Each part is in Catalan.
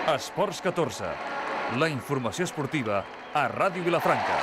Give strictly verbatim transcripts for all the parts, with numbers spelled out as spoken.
Esports catorze, la informació esportiva a Ràdio Vilafranca.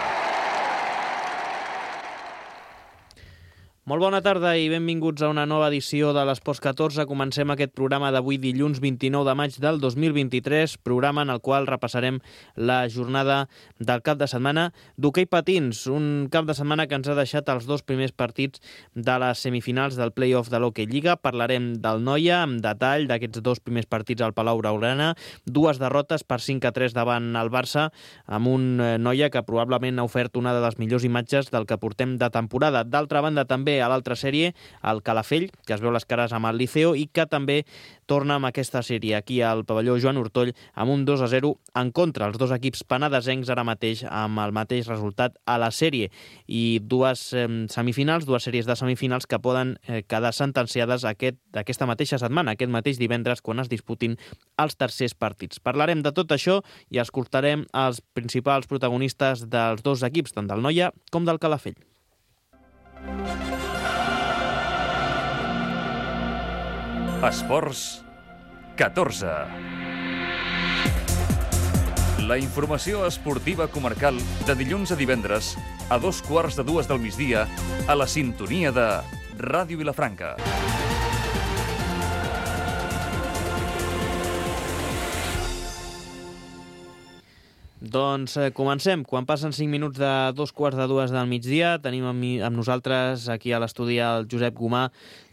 Molt bona tarda i benvinguts a una nova edició de l'Esports catorze. Comencem aquest programa d'avui dilluns vint-i-nou de maig del dos mil vint-i-tres, programa en el qual repassarem la jornada del cap de setmana d'hoquei patins, un cap de setmana que ens ha deixat els dos primers partits de les semifinals del play-off de l'Hockey Lliga. Parlarem del Noia amb detall d'aquests dos primers partits al Palau Blaugrana, dues derrotes per cinc a tres davant el Barça, amb un Noia que probablement ha ofert una de les millors imatges del que portem de temporada. D'altra banda, també a l'altra sèrie, el Calafell, que es veu les cares amb el Liceo i que també torna amb aquesta sèrie aquí al pavelló Joan Ortoll amb un dos a zero en contra. Els dos equips penedesencs ara mateix amb el mateix resultat a la sèrie i dues eh, semifinals, dues sèries de semifinals que poden eh, quedar sentenciades aquest, aquesta mateixa setmana, aquest mateix divendres, quan es disputin els tercers partits. Parlarem de tot això i escoltarem els principals protagonistes dels dos equips, tant del Noia com del Calafell. Esports catorze. La informació esportiva comarcal de dilluns a divendres a dos quarts de dues del migdia a la sintonia de Ràdio Vilafranca. Doncs eh, comencem. Quan passen cinc minuts de dos quarts de dues del migdia, tenim amb, mi, amb nosaltres aquí a l'estudi el Josep Gomà.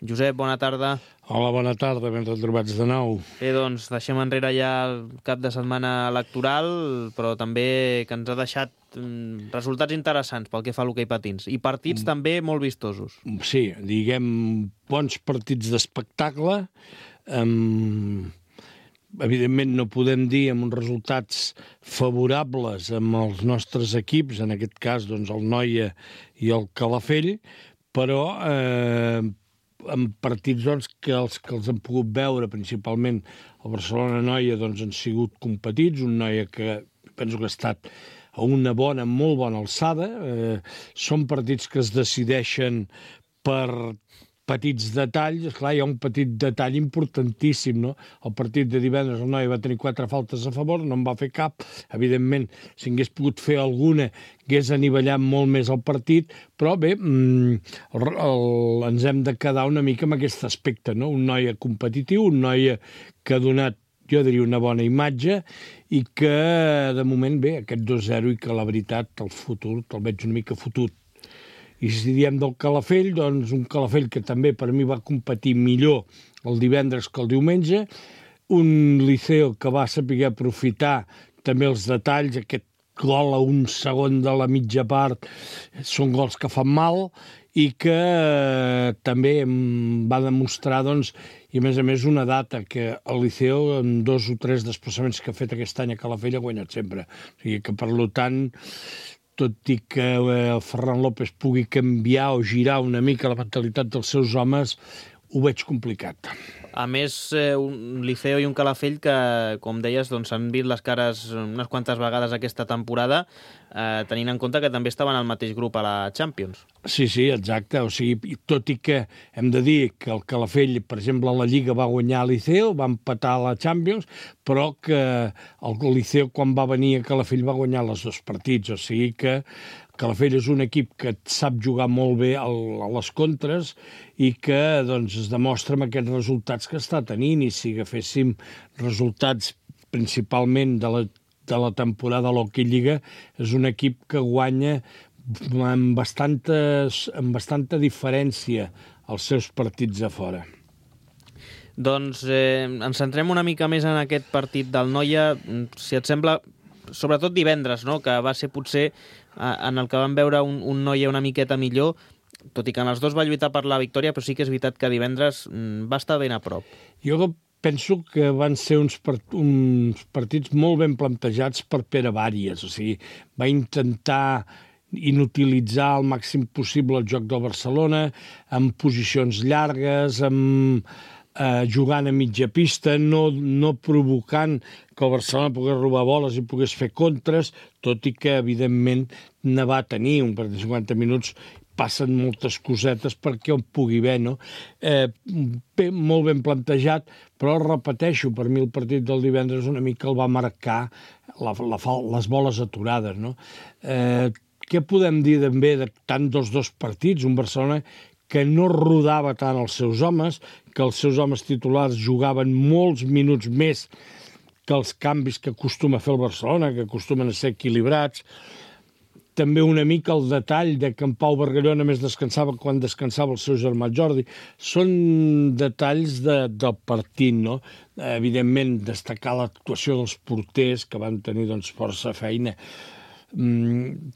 Josep, bona tarda. Hola, bona tarda, ben retrobats de nou. Bé, doncs deixem enrere ja el cap de setmana electoral, però també que ens ha deixat mm, resultats interessants pel que fa a l'hoquei patins. I partits mm. també molt vistosos. Sí, diguem, bons partits d'espectacle. Um, evidentment no podem dir amb uns resultats favorables amb els nostres equips, en aquest cas doncs, el Noia i el Calafell, però eh, amb partits doncs, que, els, que els hem pogut veure, principalment el Barcelona-Noia, doncs, han sigut competits, un Noia que penso que ha estat a una bona, molt bona alçada. Eh, són partits que es decideixen per petits detalls. Esclar, hi ha un petit detall importantíssim, no? El partit de divendres el Noia va tenir quatre faltes a favor, no en va fer cap. Evidentment, si hagués pogut fer alguna, hagués anivellat molt més el partit, però bé, el, el, ens hem de quedar una mica amb aquest aspecte, no? Un Noia competitiu, un Noia que ha donat, jo diria, una bona imatge i que, de moment, bé, aquest dos a zero i que la veritat, el futur, el veig una mica fotut. I si diem del Calafell, doncs un Calafell que també per mi va competir millor el divendres que el diumenge, un Liceo que va saber aprofitar també els detalls, aquest gol a un segon de la mitja part, són gols que fan mal i que eh, també va demostrar, doncs, i a més a més una data que el Liceo, en dos o tres desplaçaments que ha fet aquest any a Calafell, ha guanyat sempre. O sigui que, per tant, tot i que el Ferran López pugui canviar o girar una mica la mentalitat dels seus homes, ho veig complicat. A més, eh, un Liceo i un Calafell que, com deies, doncs, han vist les cares unes quantes vegades aquesta temporada, eh, tenint en compte que també estaven al mateix grup a la Champions. Sí, sí, exacte. O sigui, tot i que hem de dir que el Calafell, per exemple, a la Lliga va guanyar el Liceo, va empatar a la Champions, però que el Liceo, quan va venir a Calafell, va guanyar els dos partits. O sigui que Calafell és un equip que sap jugar molt bé a les contres i que doncs, es demostra amb aquests resultats que està tenint. I si agaféssim resultats principalment de la, de la temporada a l'Hockey Lliga, és un equip que guanya amb, bastantes, amb bastanta diferència els seus partits a fora. Doncs eh, ens centrem una mica més en aquest partit del Noia, si et sembla, sobretot divendres, no? Que va ser potser en el que vam veure un, un Noia una miqueta millor, tot i que en els dos va lluitar per la victòria, però sí que és veritat que divendres va estar ben a prop. Jo penso que van ser uns, part, uns partits molt ben plantejats per Pere Bàries, o sigui, va intentar inutilitzar al màxim possible el joc del Barcelona, amb posicions llargues, amb eh, jugant a mitja pista, no, no provocant que el Barcelona pogués robar boles i pogués fer contres, tot i que, evidentment, ne va tenir un partit de cinquanta minuts passen moltes cosetes perquè on pugui haver, no? Eh, bé, molt ben plantejat, però repeteixo, per mi el partit del divendres una mica el va marcar la, la, les boles aturades, no? Eh, què podem dir també de tant dels dos partits? Un Barcelona que no rodava tant els seus homes, que els seus homes titulars jugaven molts minuts més que els canvis que acostuma a fer el Barcelona, que acostumen a ser equilibrats. També una mica el detall de que en Pau Bargalló només descansava quan descansava el seu germà Jordi. Són detalls de, del partit, no? Evidentment, destacar l'actuació dels porters, que van tenir doncs, força feina. Mm,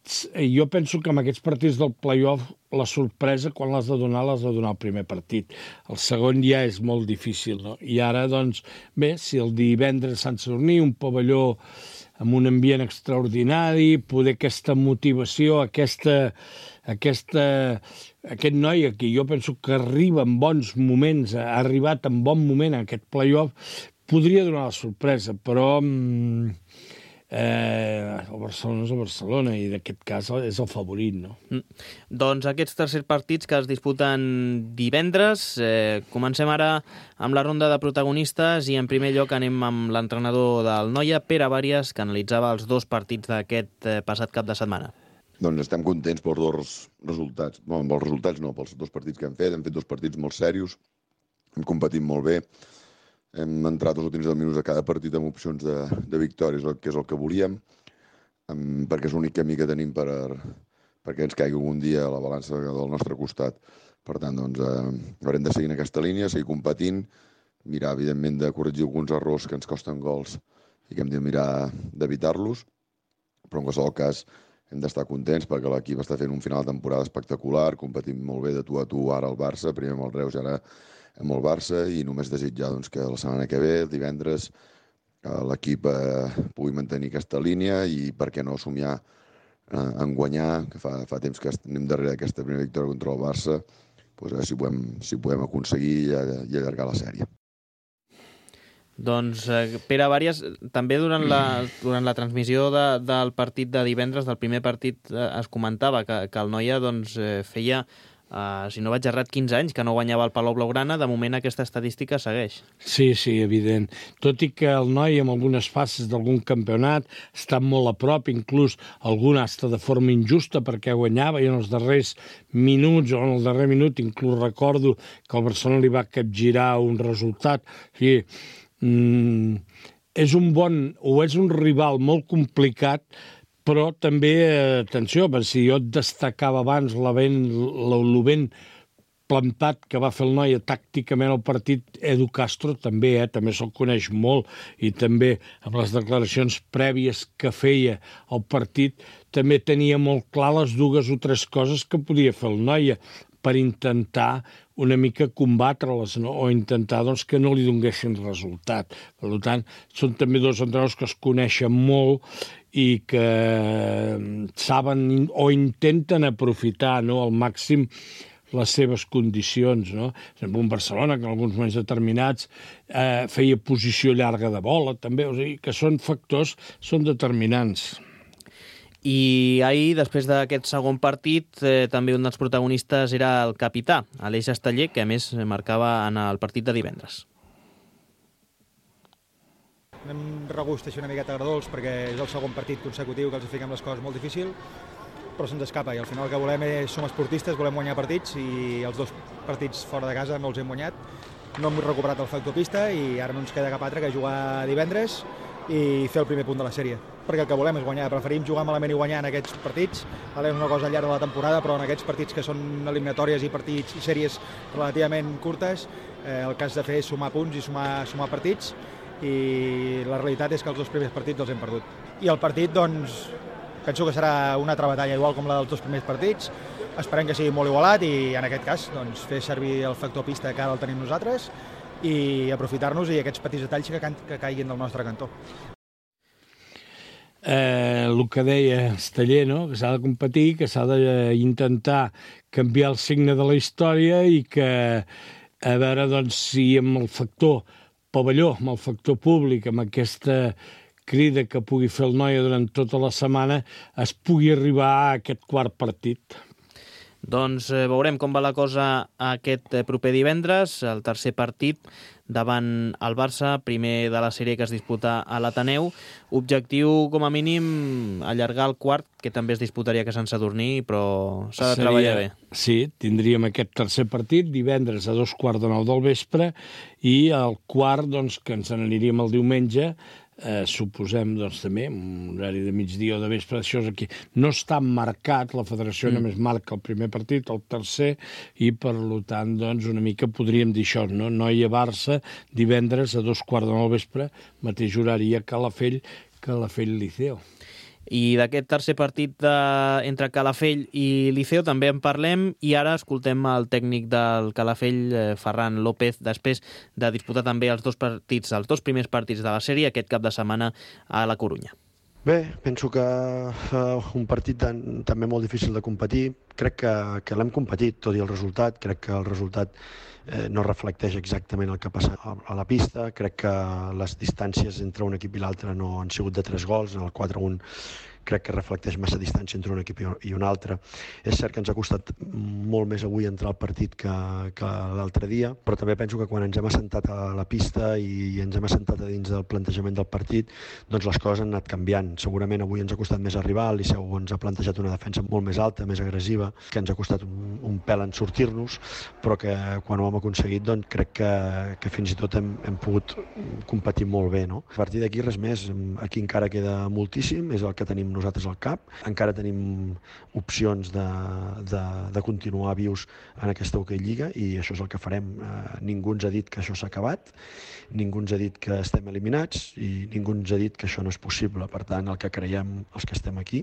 jo penso que en aquests partits del play-off la sorpresa, quan l'has de donar, l'has de donar al primer partit. El segon ja és molt difícil, no? I ara, doncs, bé, si el divendres a Sant Sadurní, un pavelló amb un ambient extraordinari, poder aquesta motivació, aquesta, aquesta, aquest noi aquí, jo penso que arriba en bons moments, ha arribat en bon moment a aquest play-off, podria donar la sorpresa, però mm, eh, el Barcelona és el Barcelona i d'aquest cas és el favorit, no? Mm. Doncs aquests tercers partits que es disputen divendres, eh, comencem ara amb la ronda de protagonistes i en primer lloc anem amb l'entrenador del Noia, Pere Bàries, que analitzava els dos partits d'aquest eh, passat cap de setmana. Doncs estem contents pels dos resultats. No, amb els resultats no, pels dos partits que hem fet. Hem fet dos partits molt serios, hem competit molt bé, hem entrat els últims deu minuts a cada partit amb opcions de, de victòries, que és el que volíem, perquè és l'únic camí que tenim per, perquè ens caigui algun dia a la balança del nostre costat. Per tant, doncs, eh, haurem de seguir en aquesta línia, seguir competint, mirar, evidentment, de corregir alguns errors que ens costen gols i que hem de mirar d'evitar-los, però en qualsevol cas hem d'estar contents perquè l'equip està fent un final de temporada espectacular, competint molt bé de tu a tu ara al Barça, primer amb el Reus i ara amb el Barça, i només desitjar doncs, que la setmana que ve, el divendres, l'equip eh, pugui mantenir aquesta línia i per què no somiar eh, en guanyar, que fa, fa temps que anem darrere d'aquesta primera victòria contra el Barça, doncs, a veure si podem, si podem aconseguir i, i allargar la sèrie. Doncs eh, Pere Bàries, també durant la, durant la transmissió de, del partit de divendres, del primer partit, eh, es comentava que, que el Noia doncs, eh, feia, eh, si no vaig errat, quinze anys que no guanyava el Palau Blaugrana. De moment aquesta estadística segueix. Sí, sí, evident. Tot i que el Noia en algunes fases d'algun campionat està molt a prop, inclús algun hasta de forma injusta perquè guanyava i en els darrers minuts o en el darrer minut inclús recordo que el Barcelona li va capgirar un resultat. Sí, Mm, és un bon o és un rival molt complicat, però també, eh, atenció, perquè si jo et destacava abans la ben, la, lo ben plantat que va fer el Noia tàcticament al partit, Edu Castro també, eh, també se'l coneix molt, i també amb les declaracions prèvies que feia al partit també tenia molt clar les dues o tres coses que podia fer el Noia per intentar una mica combatre-les, no? O intentar doncs, que no li donguessin resultat. Per tant, són també dos entrenadors que es coneixen molt i que saben o intenten aprofitar, no, al màxim les seves condicions, no? Per exemple, un Barcelona que en alguns moments determinats eh, feia posició llarga de bola, també, o sigui, que són factors, són determinants. I ahir, després d'aquest segon partit, eh, també un dels protagonistes era el capità, Aleix Esteller, que a més marcava en el partit de divendres. Anem regust així una miqueta agradolç perquè és el segon partit consecutiu que els fiquem les coses molt difícil, però se'ns escapa i al final el que volem és, som esportistes, volem guanyar partits i els dos partits fora de casa no els hem guanyat. No hem recuperat el factor pista i ara no ens queda cap altre que jugar divendres i fer el primer punt de la sèrie, perquè el que volem és guanyar. Preferim jugar malament i guanyar en aquests partits, vale, és una cosa al llarg de la temporada, però en aquests partits que són eliminatòries i partits i sèries relativament curtes, eh, el que has de fer és sumar punts i sumar, sumar partits, i la realitat és que els dos primers partits els hem perdut. I el partit, doncs, penso que serà una altra batalla igual com la dels dos primers partits, esperem que sigui molt igualat i en aquest cas doncs, fer servir el factor pista que ara el tenim nosaltres i aprofitar-nos i aquests petits detalls que, que caiguin del nostre cantó. Eh, el que deia Esteller, no? Que s'ha de competir, que s'ha d'intentar canviar el signe de la història i que a veure doncs, si amb el factor pavelló, amb el factor públic, amb aquesta crida que pugui fer el Noia durant tota la setmana, es pugui arribar a aquest quart partit. Doncs eh, veurem com va la cosa aquest eh, proper divendres, el tercer partit davant el Barça, primer de la sèrie que es disputa a l'Ateneu. Objectiu, com a mínim, allargar el quart, que també es disputaria a Sant Sadurní, però s'ha de Seria... treballar bé. Sí, tindríem aquest tercer partit divendres a dos quarts de nou del vespre i el quart, doncs, que ens n'aniríem el diumenge, Eh, suposem, doncs, també, un horari de migdia o de vespre, això és aquí. No està marcat, la federació mm. només marca el primer partit, el tercer, i per tant, doncs, una mica podríem dir això, no? Noia-Barça, divendres a dos quarts de nou vespre, mateix horari a Calafell, Calafell-Liceo. I d'aquest tercer partit de, entre Calafell i Liceo també en parlem i ara escoltem el tècnic del Calafell, eh, Ferran López, després de disputar també els dos partits, els dos primers partits de la sèrie aquest cap de setmana a la Corunya. Bé, penso que uh, un partit tan, també molt difícil de competir. Crec que, que l'hem competit, tot i el resultat. Crec que el resultat eh, no reflecteix exactament el que ha passat a, a la pista. Crec que les distàncies entre un equip i l'altre no han sigut de tres gols. En el quatre a un crec que reflecteix massa distància entre un equip i un altre. És cert que ens ha costat molt més avui entrar al partit que, que l'altre dia, però també penso que quan ens hem assentat a la pista i ens hem assentat a dins del plantejament del partit, doncs les coses han anat canviant. Segurament avui ens ha costat més arribar, el Liceu ens ha plantejat una defensa molt més alta, més agressiva, que ens ha costat un, un pèl en sortir-nos, però que quan ho hem aconseguit, doncs crec que, que fins i tot hem, hem pogut competir molt bé, no? A partir d'aquí res més, aquí encara queda moltíssim, és el que tenim nosaltres al cap. Encara tenim opcions de, de, de continuar vius en aquesta Hockey Lliga i això és el que farem. Eh, ningú ens ha dit que això s'ha acabat, ningú ens ha dit que estem eliminats i ningú ens ha dit que això no és possible. Per tant, el que creiem els que estem aquí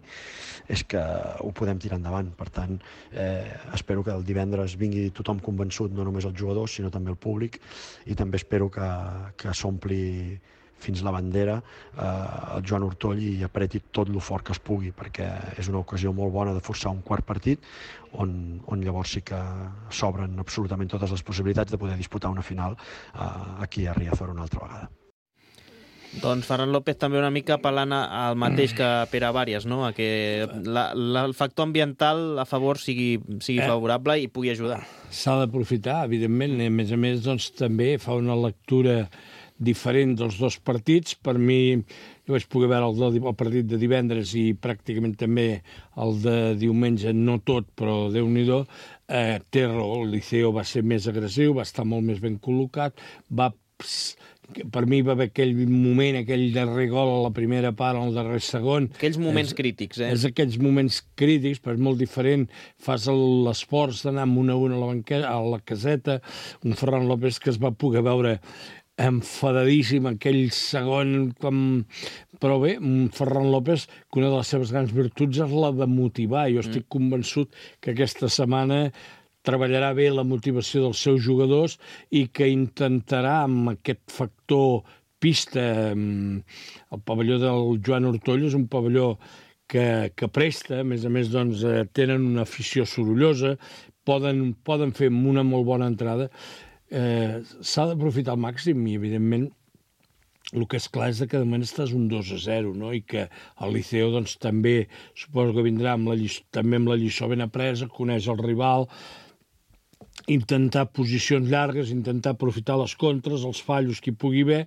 és que ho podem tirar endavant. Per tant, eh, espero que el divendres vingui tothom convençut, no només els jugadors, sinó també el públic, i també espero que, que s'ompli fins la bandera eh, el Joan Ortoll i apreti tot lo fort que es pugui, perquè és una ocasió molt bona de forçar un quart partit on, on llavors sí que s'obren absolutament totes les possibilitats de poder disputar una final eh, aquí a Riazor una altra vegada. Doncs Ferran López també una mica apel·lant al mateix que Pere Vàries, no? A que la, la, el factor ambiental a favor sigui, sigui favorable i pugui ajudar. S'ha d'aprofitar, evidentment, i a més a més doncs, també fa una lectura diferent dels dos partits. Per mi, jo vaig poder veure el, el partit de divendres i pràcticament també el de diumenge, no tot, però Déu-n'hi-do. Eh, té raó, el Liceo va ser més agressiu, va estar molt més ben col·locat, va... Per mi va haver aquell moment, aquell darrer gol a la primera part, al darrer segon. Aquells moments és, crítics, eh? És aquells moments crítics, però és molt diferent. Fas l'esforç d'anar amb una a una a la, banqueta, a la caseta, un Ferran López que es va poder veure enfadadíssim aquell segon, com... però bé, un Ferran López, que una de les seves grans virtuts és la de motivar. Jo estic mm. convençut que aquesta setmana treballarà bé la motivació dels seus jugadors i que intentarà, amb aquest factor pista, el pavelló del Joan Ortoll és un pavelló que, que presta, a més a més doncs, tenen una afició sorollosa, poden, poden fer una molt bona entrada. Eh, s'ha d'aprofitar al màxim i, evidentment, el que és clar és que de moment estàs un dos a zero, no? I que el Liceo doncs, també suposo que vindrà amb la lliçó, també amb la lliçó ben apresa, coneix el rival, intentar posicions llargues, intentar aprofitar les contres, els fallos que hi pugui haver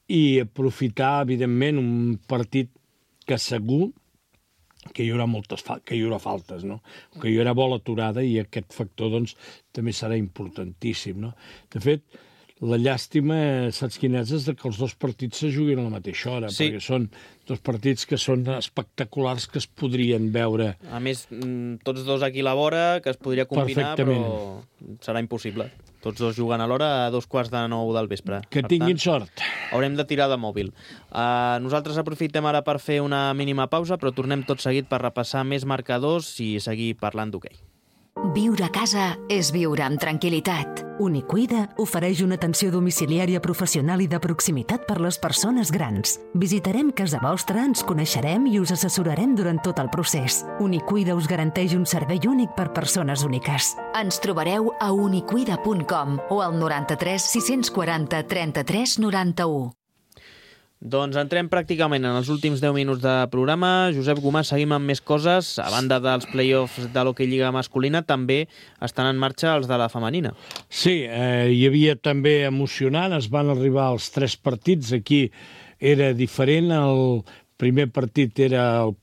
i aprofitar, evidentment, un partit que segur que hi haurà moltes fa- que hi haurà faltes, no? Que hi haurà bola aturada i aquest factor doncs, també serà importantíssim, no? De fet, la llàstima, saps quina és? És que els dos partits se juguin a la mateixa hora, sí. Perquè són dos partits que són espectaculars que es podrien veure. A més, tots dos aquí a la vora, que es podria combinar, però serà impossible. Tots dos juguen a l'hora a dos quarts de nou del vespre. Que per tinguin tant, sort. Haurem de tirar de mòbil. Uh, nosaltres aprofitem ara per fer una mínima pausa, però tornem tot seguit per repassar més marcadors i seguir parlant d'hoquei. Viure a casa és viure amb tranquil·litat. Unicuida ofereix una atenció domiciliària professional i de proximitat per les persones grans. Visitarem casa vostra, ens coneixerem i us assessorarem durant tot el procés. Unicuida us garanteix un servei únic per persones úniques. Ens trobareu a unicuida punt com o al noranta-tres sis-cents quaranta trenta-tres noranta-u. Doncs entrem pràcticament en els últims deu minuts de programa. Josep Gomà, seguim amb més coses. A banda dels play-offs de l'Hockey Lliga masculina, també estan en marxa els de la femenina. Sí, eh, hi havia també emocionant, es van arribar als tres partits. Aquí era diferent, el primer partit era el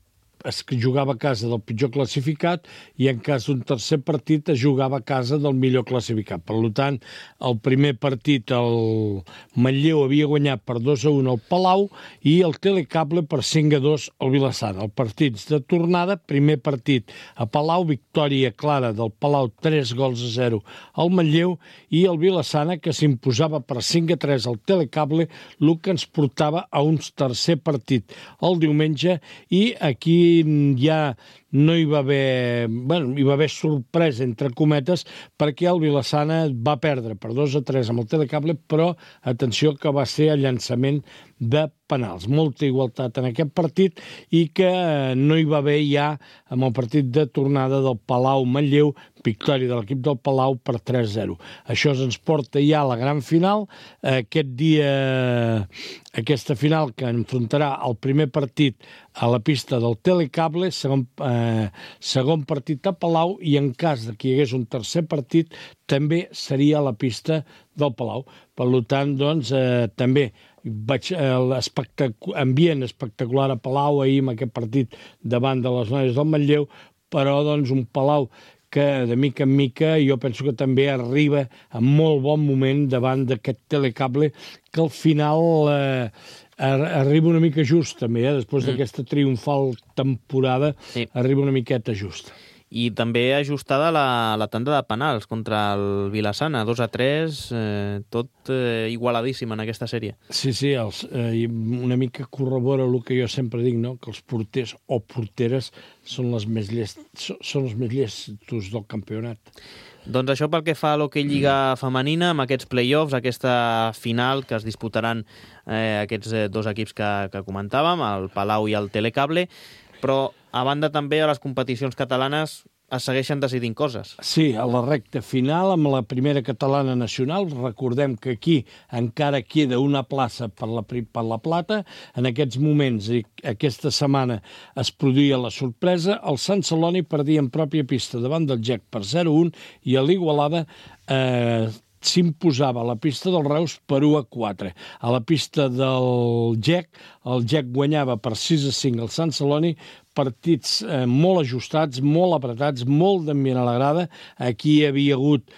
es jugava a casa del pitjor classificat i en cas d'un tercer partit es jugava a casa del millor classificat. Per tant, el primer partit el Manlleu havia guanyat per dos a un al Palau i el Telecable per cinc a dos al Vilassana. El partit de tornada, primer partit a Palau, victòria clara del Palau, tres gols a zero al Manlleu, i el Vilassana, que s'imposava per cinc a tres al Telecable, el que ens portava a un tercer partit el diumenge, i aquí ja no hi va haver, bueno, hi va haver sorpresa, entre cometes, perquè el Vilassana va perdre per dos a tres amb el Telecable, però atenció que va ser el llançament de penals. Molta igualtat en aquest partit i que no hi va haver ja amb el partit de tornada del Palau-Manlleu, victòria de l'equip del Palau per tres a zero. Això ens porta ja a la gran final. Aquest dia, aquesta final que enfrontarà el primer partit a la pista del Telecable, segon, eh, segon partit a Palau, i en cas que hi hagués un tercer partit també seria a la pista del Palau. Per tant, doncs, eh, també vaig l'ambient espectacular a Palau ahir amb aquest partit davant de les noies del Manlleu, però doncs un Palau que de mica en mica jo penso que també arriba en molt bon moment davant d'aquest Telecable, que al final eh, arriba una mica just també, eh? Després mm. d'aquesta triomfal temporada, sí. Arriba una miqueta just. I també ajustada la, la tanda de penals contra el Vilassana, dos a tres, eh, tot eh, igualadíssim en aquesta sèrie. Sí, sí, els, eh, una mica corrobora el que jo sempre dic, no? Que els porters o porteres són, les més llest, són els més llestos del campionat. Doncs això pel que fa a l'Hockey Lliga femenina, amb aquests play-offs, aquesta final que es disputaran eh, aquests eh, dos equips que, que comentàvem, el Palau i el Telecable, però a banda també a les competicions catalanes es segueixen decidint coses. Sí, a la recta final amb la primera catalana nacional, recordem que aquí encara queda una plaça per la, per la plata. En aquests moments, i aquesta setmana es produïa la sorpresa, el Sant Celoni perdia en pròpia pista davant del G E C per zero a un i a l'Igualada eh, s'imposava a la pista del Reus per u a quatre. A la pista del G E C, el G E C guanyava per sis a cinc al Sant Celoni, partits eh, molt ajustats, molt apretats, molt d'ambient a la grada. Aquí hi havia hagut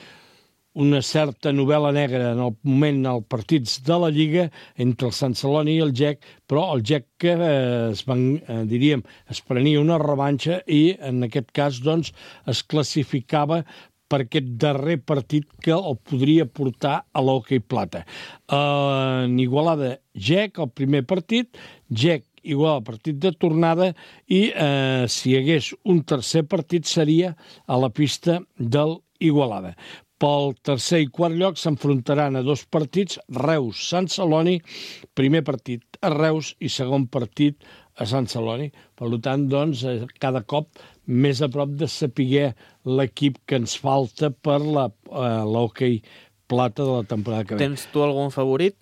una certa novel·la negra en el moment dels partits de la Lliga entre el Sant Celoni i el G E C, però el G E C que eh, es, van, eh, diríem, es prenia una revanxa i en aquest cas doncs, es classificava per aquest darrer partit que el podria portar a l'Hockey Plata. Uh, en Igualada, G E C, el primer partit, G E C igual al partit de tornada, i eh, si hi hagués un tercer partit seria a la pista del Igualada. Pel tercer i quart lloc s'enfrontaran a dos partits, Reus-Sant Celoni, primer partit a Reus i segon partit a Sant Celoni. Per tant, doncs, cada cop més a prop de saber l'equip que ens falta per la, eh, l'Hockey Plata de la temporada que ve. Tens tu algun favorit?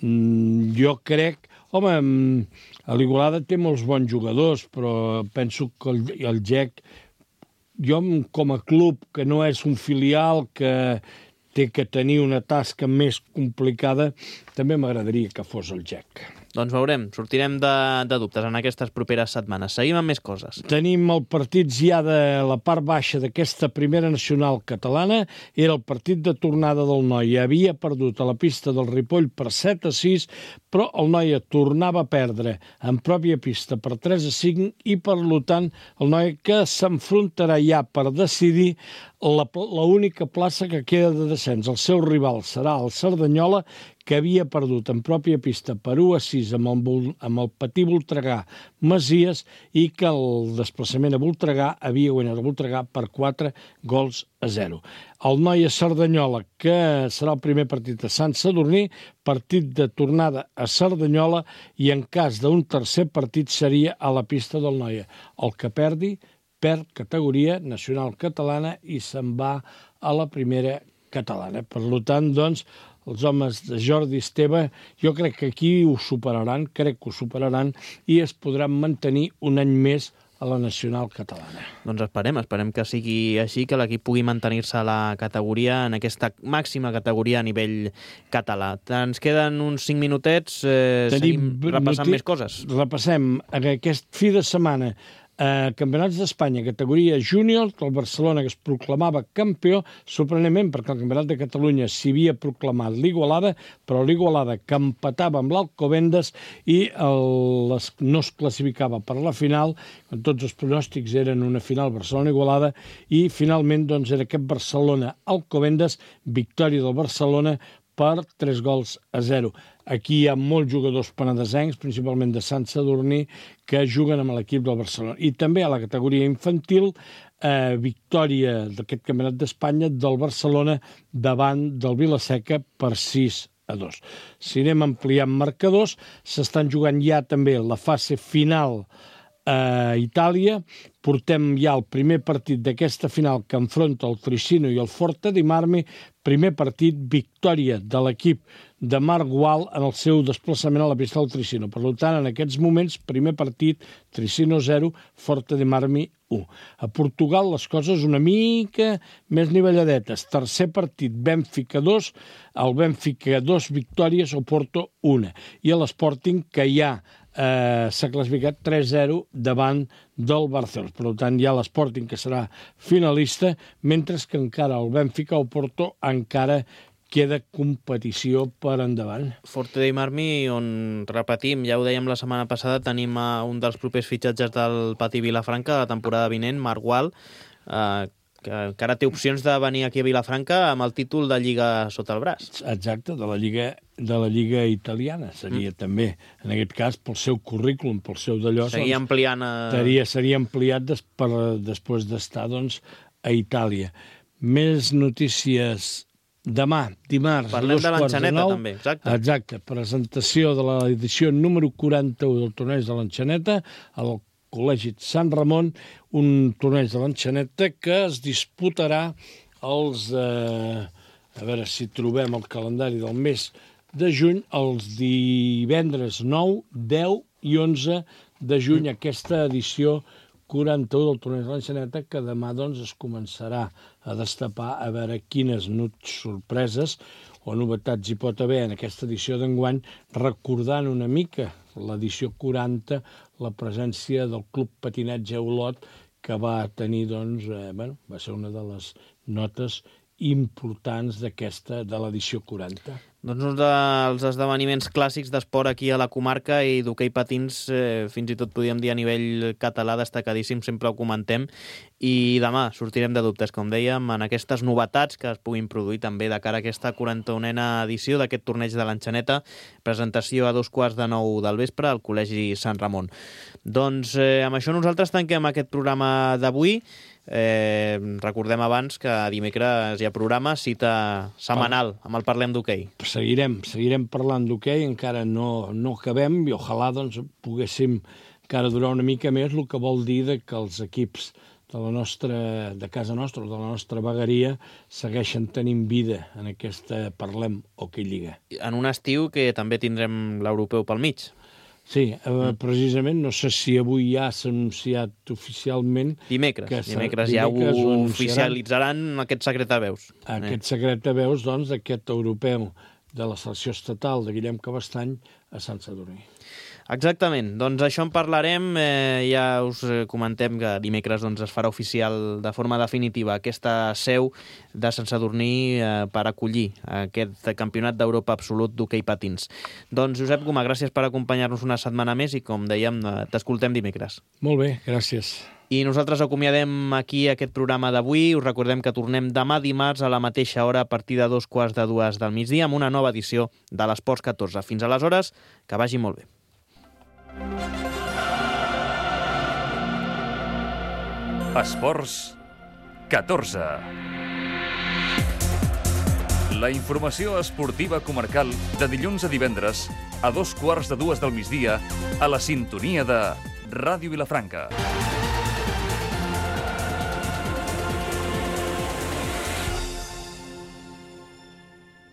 Mm, jo crec... Home, l'Igualada té molts bons jugadors, però penso que el, el G E C, jo com a club que no és un filial, que té que tenir una tasca més complicada, també m'agradaria que fos el G E C. Doncs veurem, sortirem de, de dubtes en aquestes properes setmanes. Seguim amb més coses. Tenim el partit ja de la part baixa d'aquesta primera nacional catalana. Era el partit de tornada del Noia. Havia perdut a la pista del Ripoll per set a sis, però el Noia tornava a perdre en pròpia pista per tres a cinc i, per tant, el Noia que s'enfrontarà ja per decidir la, la única plaça que queda de descens. El seu rival serà el Cerdanyola, que havia perdut en pròpia pista per u a sis amb el, amb el Patí Voltregà Masies i que el desplaçament a Voltregà havia guanyat el Voltregà per quatre gols a zero. El Noia Cerdanyola, que serà el primer partit a Sant Sadurní, partit de tornada a Cerdanyola, i en cas d'un tercer partit seria a la pista del Noia. El que perdi perd categoria nacional catalana i se'n va a la primera catalana. Per tant, doncs, els homes de Jordi Esteve, jo crec que aquí ho superaran, crec que ho superaran, i es podran mantenir un any més a la nacional catalana. Doncs esperem, esperem que sigui així, que l'equip pugui mantenir-se a la categoria, en aquesta màxima categoria a nivell català. Ens queden uns cinc minutets, eh, seguim repassant més coses. Repassem. Aquest fi de setmana, eh, Campionats d'Espanya, categoria júnior, el Barcelona, que es proclamava campió, sorprenentment, perquè el Campionat de Catalunya s'hi havia proclamat l'Igualada, però l'Igualada que empatava amb l'Alcobendas i el, les, no es classificava per la final, quan tots els pronòstics eren una final Barcelona-Igualada, i finalment doncs, era aquest Barcelona-Alcobendas, victòria del Barcelona per tres gols a zero. Aquí hi ha molts jugadors penedesencs, principalment de Sant Sadurní, que juguen amb l'equip del Barcelona. I també a la categoria infantil, eh, victòria d'aquest Campionat d'Espanya del Barcelona davant del Vilaseca per sis a dos. Si anem ampliant marcadors, s'estan jugant ja també la fase final a Itàlia. Portem ja el primer partit d'aquesta final que enfronta el Tricino i el Forte di Marmi. Primer partit, victòria de l'equip de Marc Gual en el seu desplaçament a la pista del Tricino. Per tant, en aquests moments, primer partit, Tricino zero, Forte di Marmi u. A Portugal les coses una mica més nivelladetes. Tercer partit, Benfica dos, el Benfica dos victòries, Oporto una. I a l'Sporting, que ja eh, s'ha classificat tres zero davant del Barcelona. Per tant, hi ha l'Sporting que serà finalista, mentre que encara el Benfica o Porto encara queda competició per endavant. Forte di Marmi, on repetim, ja ho dèiem la setmana passada, tenim a un dels propers fitxatges del Pati Vilafranca de la temporada vinent, Marc Gual, eh, que encara té opcions de venir aquí a Vilafranca amb el títol de Lliga sota el braç. Exacte, de la Lliga, de la Lliga italiana. Seria mm. també, en aquest cas, pel seu currículum, pel seu d'allò... Seria doncs, ampliant... A... Seria, seria ampliat des, per, després d'estar doncs, a Itàlia. Més notícies... Demà, dimarts, parlem a dos de quarts de nou. També, exacte. Exacte, presentació de l'edició número quaranta-u del torneig de l'Enxaneta, al Col·legi Sant Ramon, un torneig de l'Enxaneta que es disputarà els... Eh, a veure si trobem el calendari del mes de juny, els divendres nou, deu i onze de juny, aquesta edició quaranta-u del torneig de l'Enxaneta, que demà doncs, es començarà a destapar a veure quines nuts sorpreses o novetats hi pot haver en aquesta edició d'enguany, recordant una mica l'edició quaranta, la presència del Club Patinatge Olot, que va tenir, doncs, eh, bueno, va ser una de les notes importants d'aquesta, de l'edició quaranta. Doncs un dels esdeveniments clàssics d'esport aquí a la comarca i d'hoquei patins, eh, fins i tot podríem dir a nivell català, destacadíssim, sempre ho comentem, i demà sortirem de dubtes, com dèiem, en aquestes novetats que es puguin produir també de cara a aquesta quaranta-unena edició d'aquest torneig de l'Enxaneta, presentació a dos quarts de nou del vespre al Col·legi Sant Ramon. Doncs eh, amb això nosaltres tanquem aquest programa d'avui. Eh, recordem abans que dimecres hi ha programa, cita setmanal amb el Parlem d'Hoquei. Seguirem, seguirem parlant d'hoquei, encara no, no acabem i ojalà doncs, poguéssim encara durar una mica més, el que vol dir de que els equips de la nostra, de casa nostra, de la nostra vegueria, segueixen tenint vida en aquesta Parlem Hoquei Lliga. En un estiu que també tindrem l'europeu pel mig. Sí, eh, precisament, no sé si avui ja s'ha anunciat oficialment... Dimecres, que dimecres ja dimecres ho oficialitzaran aquest secret de veus. Aquest secret de veus, doncs, d'aquest europeu de la selecció estatal de Guillem Cabestany a Sant Sadurní. Exactament, doncs això en parlarem, eh, ja us comentem que dimecres doncs, es farà oficial de forma definitiva aquesta seu de Sant Sadurní eh, per acollir aquest campionat d'Europa absolut d'hoquei patins. Doncs Josep Gomà, gràcies per acompanyar-nos una setmana més i com dèiem, t'escoltem dimecres. Molt bé, gràcies. I nosaltres acomiadem aquí aquest programa d'avui. Us recordem que tornem demà dimarts a la mateixa hora a partir de dos quarts de dues del migdia amb una nova edició de l'Esports catorze. Fins aleshores, que vagi molt bé. Esports catorze. La informació esportiva comarcal de dilluns a divendres a dos quarts de dues del migdia a la sintonia de Ràdio Vilafranca.